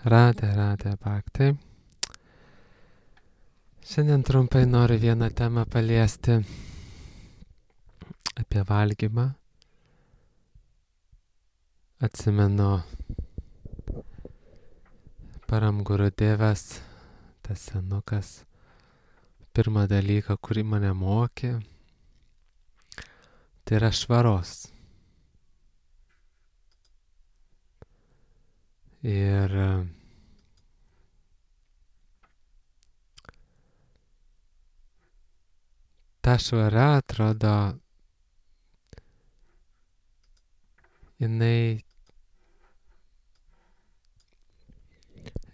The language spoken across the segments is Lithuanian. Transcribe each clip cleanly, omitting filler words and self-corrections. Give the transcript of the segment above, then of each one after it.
Radė Bhakti. Šiandien trumpai noriu vieną temą paliesti apie valgymą. Atsimenu Param Gurudevas, tas senukas, pirmą dalyką, kurį mane mokė, tai yra švaros. Ir ta švara, atrodo, jinai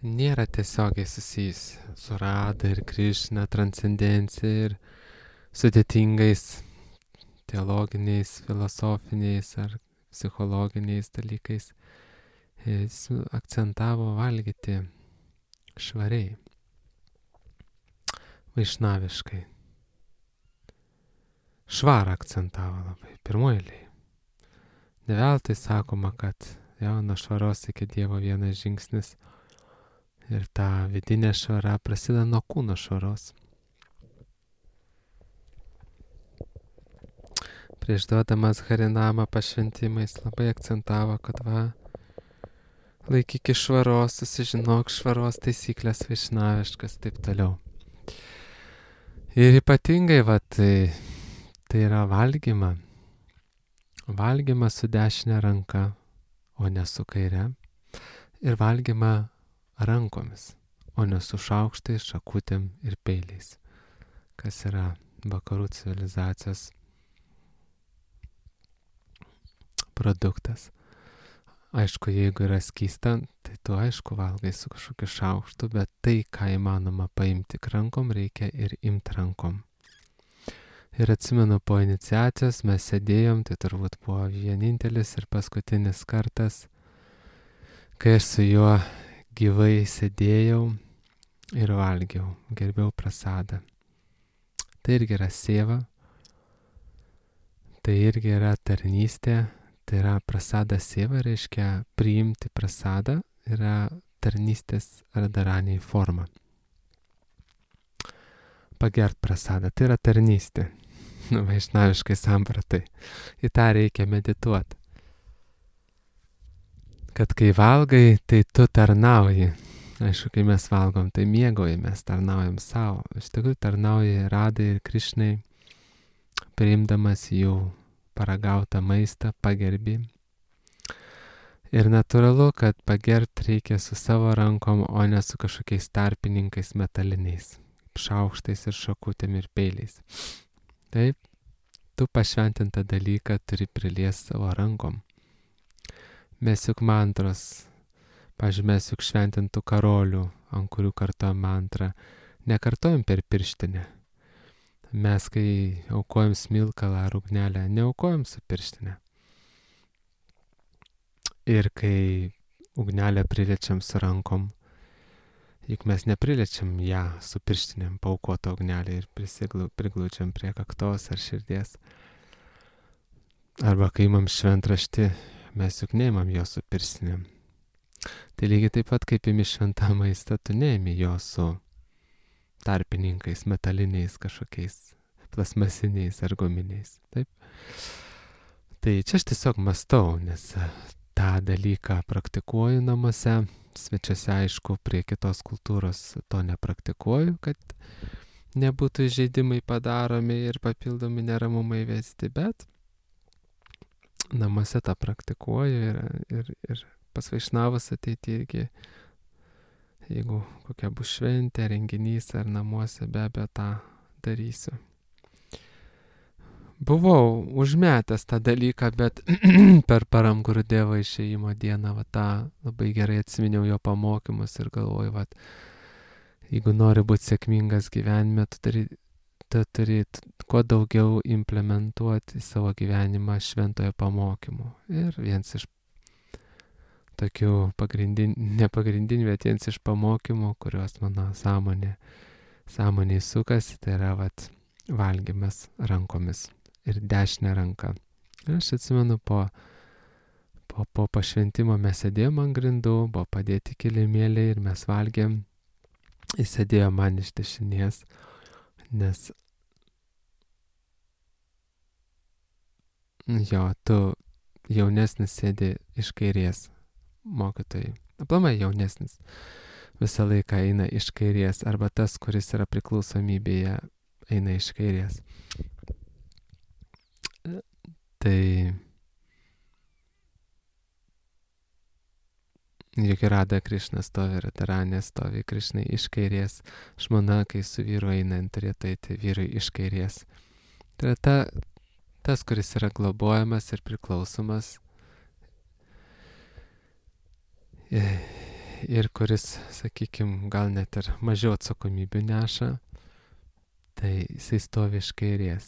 nėra tiesiogiai susijusi su Rada ir Krišna, transcendencija ir sudėtingais teologiniais, filosofiniais ar psichologiniais dalykais. Jis akcentavo valgyti švariai, vaišnaviškai. Švarą akcentavo labai, pirmoji. Ne veltui sakoma, kad nuo švaros iki Dievo vienas žingsnis ir ta vidinė švara prasideda nuo kūno švaros. Prieš duodamas Harinamą pašventimais labai akcentavo, kad laikykis švaros, susižinok švaros taisyklės vaišnaviškas, taip toliau. Ir ypatingai tai yra valgyma. Valgyma su dešinė ranka, o ne su kaire. Ir valgyma rankomis, o ne su šaukštais, šakutėm ir peiliais. Kas yra vakarų civilizacijos produktas. Aišku, jeigu yra skysta, tai tu aišku valgai su kažkokiu šaukštu, bet tai, ką įmanoma paimti rankom, reikia ir imti rankom. Ir atsimenu, po iniciacijos mes sėdėjom, tai turbūt buvo vienintelis ir paskutinis kartas, kai aš su juo gyvai sėdėjau ir valgiau, gerbiau prasadą. Tai irgi yra seva, tai irgi yra tarnystė. Tai yra prasada seva, reiškia priimti prasadą, yra tarnystės radaraniai forma. Pagert prasadą, tai yra tarnystė, vaišnaviškai sampratai. Į tą reikia medituoti. Kad kai valgai, tai tu tarnauji. Aišku, kai mes valgom, tai mėgaujamės, tarnaujam savo. Iš tikrųjų tarnauji Radai ir Krišnai, priimdamas jų paragautą maistą, pagerbi. Ir natūralu, kad pagert reikia su savo rankom, o ne su kažkokiais tarpininkais metaliniais, šaukštais ir šakutėm ir peiliais. Taip, tu pašventintą dalyką turi priliesti savo rankom. Mes juk mantros, pavyzdžiui, mes juk šventintų karolių, ant kurių kartojam mantrą, nekartojam per pirštinę. Mes, kai aukojam smilkalą ar ugnelę, neaukojam su pirštinė. Ir kai ugnelę priliečiam su rankom, juk mes nepriliečiam ją su pirštinėm, paaukotą ugnelę ir priglūčiam prie kaktos ar širdies. Arba kai imam šventraštį, mes juk neimam jo su pirštinėm. Tai lygiai taip pat, kaip imi šventą maistą, tu neimi jo su tarpininkais, metaliniais kažkokiais, plasmasiniais ar guminiais. Taip. Tai čia aš tiesiog mąstau, nes tą dalyką praktikuoju namuose, svečiuose aišku, prie kitos kultūros to nepraktikuoju, kad nebūtų įžeidimai padaromi ir papildomi neramumai vesti, bet namuose tą praktikuoju ir pas vaišnavus ateiti irgi. Jeigu kokia bus šventė, renginys ar namuose, be abejo tą darysiu. Buvau užmetęs tą dalyką, bet per Param Gurudevo išėjimo dieną tą labai gerai atsiminiau jo pamokymus ir galvoju, jeigu nori būti sėkmingas gyvenime, tu turi kuo daugiau implementuoti į savo gyvenimą šventojo pamokymų. Ir vienas iš tokių nepagrindinių, bet vienas iš pamokymų, kuriuos mano sąmonėj sukasi, tai yra valgymas rankomis ir dešinė ranka. Ir aš atsimenu po po pašventimo mes sėdėjom ant grindų, buvo padėti kilimėliai ir mes valgėm. Jis sėdėjo man iš dešinės, nes jo, tu jaunesnis sėdi iš kairės mokytojai. Aplamai jaunesnis visą laiką eina iš kairės, arba tas, kuris yra priklausomybėje, eina iš kairės. Tai juk Rada Krišna stovi, Radharanė stovi Krišnai iš kairės, žmona, kai su vyru eina, turėtų eiti vyrui iš kairės. Tai yra tas, kuris yra globojamas ir priklausomas ir kuris, sakykime, gal net ir mažiau atsakomybių neša, tai jisai stovi iš kairės.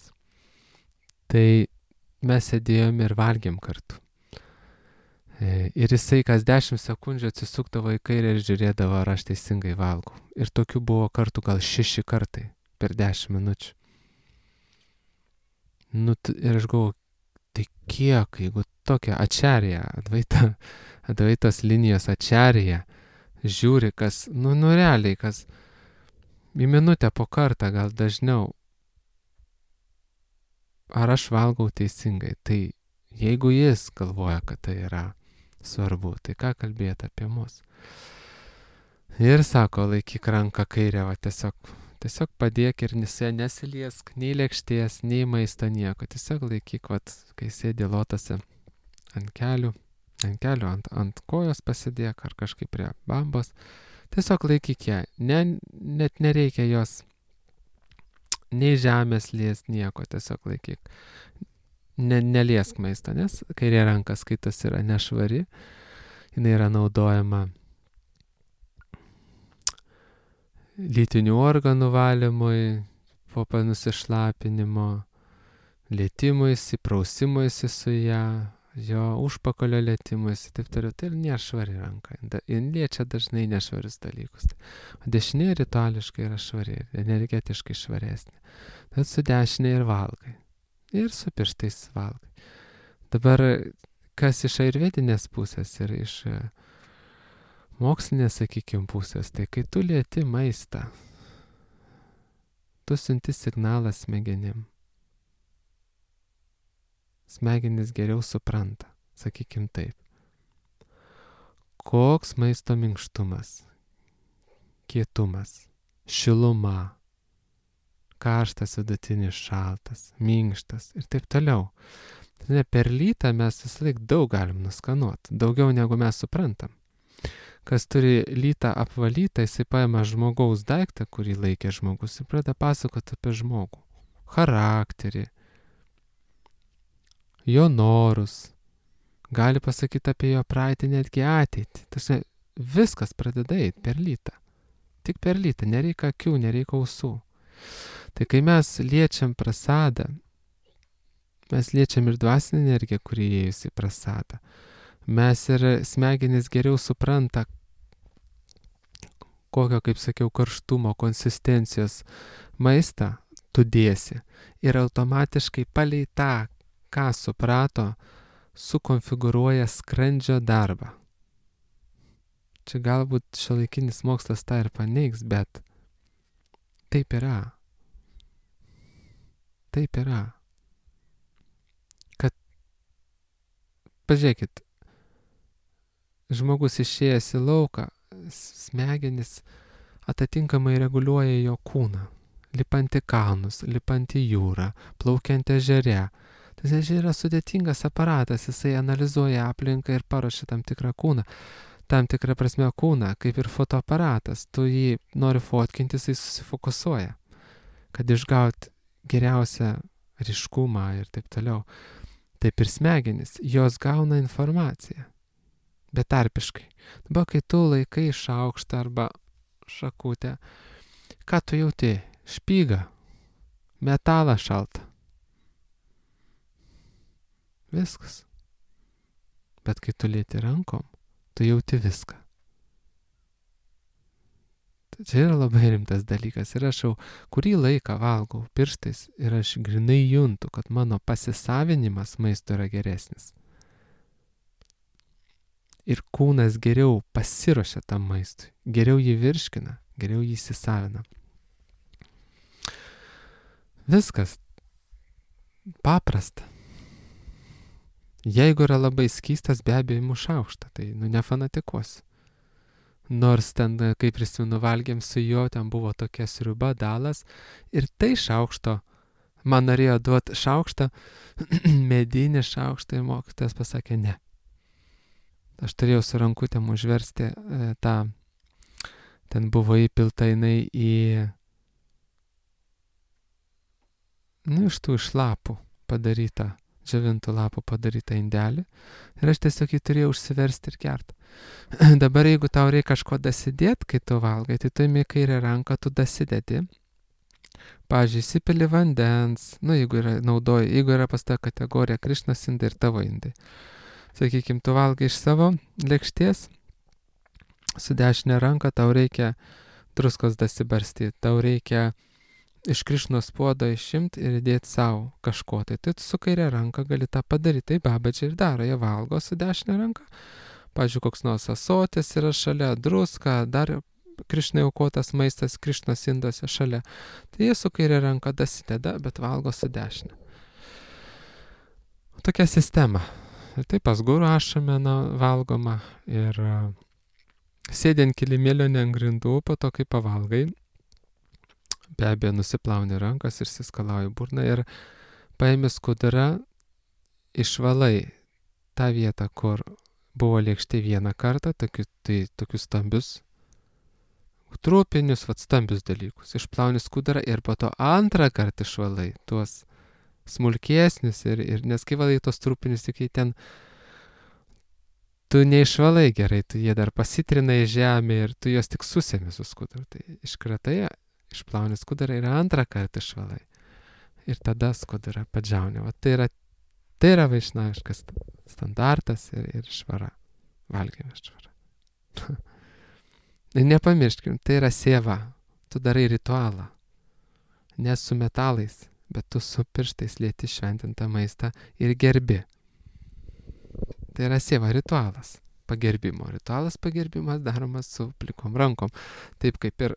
Tai mes sėdėjom ir valgėm kartu. Ir jisai kas 10 sekundžių atsisukdavo į kairę ir žiūrėdavo, ar aš teisingai valgau. Ir tokių buvo kartų gal 6 kartai per 10 minučių. Ir aš galvoju, tai kiek, jeigu tokia ačarija, advaitos linijos ačarija, žiūri, kas, realiai, kas į minutę po kartą, gal dažniau, ar aš valgau teisingai. Tai jeigu jis galvoja, kad tai yra svarbu, tai ką kalbėti apie mus. Ir sako, laikyk ranką kairę, tiesiog padėk ir nesiliesk nei lėkštės, nei maisto, nieko. Tiesiog laikyk, kai sėdi lotose ant kelių, ant kojos pasidėk ar kažkaip prie bambos. Tiesiog laikyk ją, net nereikia jos nei žemės lies, nieko, tiesiog laikyk. Neliesk maisto, nes kairė ranka skaitos yra nešvari, jinai yra naudojama lytinių organų valymui, po nusišlapinimo, lietimuisi, prausimuisi su ją, jo užpakalio lietimuisi, taip toliau. Tai nėra švari ranka, jin liečia dažnai nešvarius dalykus. O dešinė rituališkai yra švari, energetiškai švaresnė. Tad su dešinė ir valgai. Ir su pirštais valgai. Dabar, kas iš ayurvedinės pusės ir iš mokslinės, sakykime, pusės, tai kai tu lieti maistą, tu siunti signalą smegenim. Smegenis geriau supranta, sakykime taip. Koks maisto minkštumas, kietumas, šiluma, karštas, vidutinis, šaltas, minkštas ir taip toliau. Per lytą mes visą laik daug galim nuskanuoti, daugiau negu mes suprantam. Kas turi lytą apvalytą, jisai paima žmogaus daiktą, kurį laikė žmogus, ir pradeda pasakoti apie žmogų, charakterį, jo norus, gali pasakyti apie jo praeitį, netgi ateitį. Tasme, viskas pradeda eiti per lytą. Tik per lytą, nereikia akių, nereikia ausų. Tai kai mes liečiam prasadą, mes liečiam ir dvasinę energiją, kuri įėjusi į prasadą. Mes ir smegenys geriau supranta, kokio, kaip sakiau, karštumo, konsistencijos maistą tu dėsi. Ir automatiškai palei tą, ką suprato, sukonfigūruoja skrandžio darbą. Čia galbūt šiuolaikinis mokslas tą ir paneigs, bet taip yra. Taip yra. Kad, pažiūrėkit, žmogus išėjęs į lauką, smegenis atitinkamai reguliuoja jo kūną. Lipant į kalnus, lipant į jūrą, plaukiant ežere. Tas yra sudėtingas aparatas, jisai analizuoja aplinką ir paruošia tam tikrą kūną. Tam tikrą prasme kūną, kaip ir fotoaparatas. Tu jį nori fotkinti, jisai susifokusuoja, kad išgauti geriausią ryškumą ir taip toliau. Taip ir smegenis, jos gauna informaciją, betarpiškai. Dabar, kai tu laikai šaukštą arba šakutę, ką tu jauti? Špygą, metalą šaltą. Viskas. Bet kai tu lieti rankom, tu jauti viską. Tai čia yra labai rimtas dalykas. Ir aš jau kurį laiką valgau pirštais ir aš grinai juntu, kad mano pasisavinimas maisto yra geresnis. ir kūnas geriau pasiruošia tam maistui, geriau jį virškina, geriau jį įsisavina. Viskas paprasta. Jeigu yra labai skystas, be abejo imu šaukštą, tai nefanatikuosiu. Nors ten, kai prisimenu, valgėm su juo, ten buvo tokia sriuba, dalas, ir tai šaukšto, man norėjo duoti šaukštą, medinį šaukštą, ir mokytojas pasakė ne. Aš turėjau su rankutėm užversti tą, ten buvo įpilta jinai iš tų iš lapų padarytą, džiovintų lapų padarytą indelį, ir aš tiesiog jį turėjau užsiversti ir gert. Dabar jeigu tau reikia kažko dasidėti, kai tu valgai, tai tu imi kairę ranką, tu dasidedi. Pavyzdžiui, įsipili vandens, jeigu yra pas tą kategoriją Krišnos indai ir tavo indai. Sakykime, tu valgai iš savo lėkštės, su dešinė ranka tau reikia druskos dasibarstyti, tau reikia iš Krišnos puodo išimti ir įdėti savo kažko. Tai tu su kairė ranka gali tą padaryti, tai babadžiai ir daro, jie valgo su dešinė ranka. Pavyzdžiui, koks nors ąsotis yra šalia, druska, dar Krišnai aukotas maistas Krišnos indose šalia. Tai jie su kairė ranka dasideda, bet valgo su dešinė. Tokia sistema. Ir taip pas guru ašamena valgoma ir sėdint kilimėlio ne ant grindų, po to kai pavalgai, be abejo nusiplauni rankas ir siskalauji burną ir paimi skudurą, išvalai tą vietą, kur buvo lėkštė vieną kartą, tokius stambius trupinius, stambius dalykus. Išplauni skudurą ir po to antrą kartą išvalai tuos smulkesnius nes kai valai tuos trupinius, tik ten tu neišvalai gerai, tu jie dar pasitrina į žemę ir tu juos tik susemi su skuduru. Tai iškratai, išplauni skudurą ir antrą kartą išvalai. Ir tada skudurą padžiauni. Tai yra vaišnaviškas standartas ir švara. Valgymo švara. Nepamirškim, tai yra sėva. Tu darai ritualą. Ne su metalais, bet tu su pirštais lieti šventintą maistą ir gerbi. Tai yra sėva ritualas. Pagerbimo. Ritualas pagerbimas daromas su plikom rankom. Taip kaip ir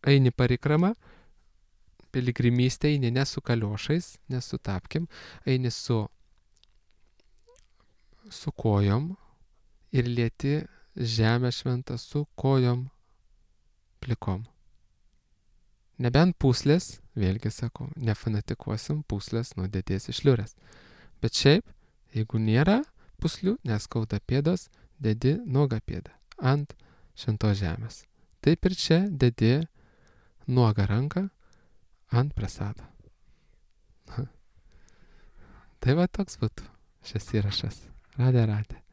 eini parikramą, piligrimystė eini ne su kaliošais, ne su tapkim, eini su kojom ir lieti žemę šventą su kojom plikom. Nebent pūslės, vėlgi sakau, nefanatikuosim, pūslės nuodėties išliurės. Bet šiaip, jeigu nėra pūslių, neskauda pėdos, dedi nuogą pėdą ant šventos žemės. Taip ir čia dedi nuogą ranką ant prasado. Tai va toks būtų šis įrašas. Radė.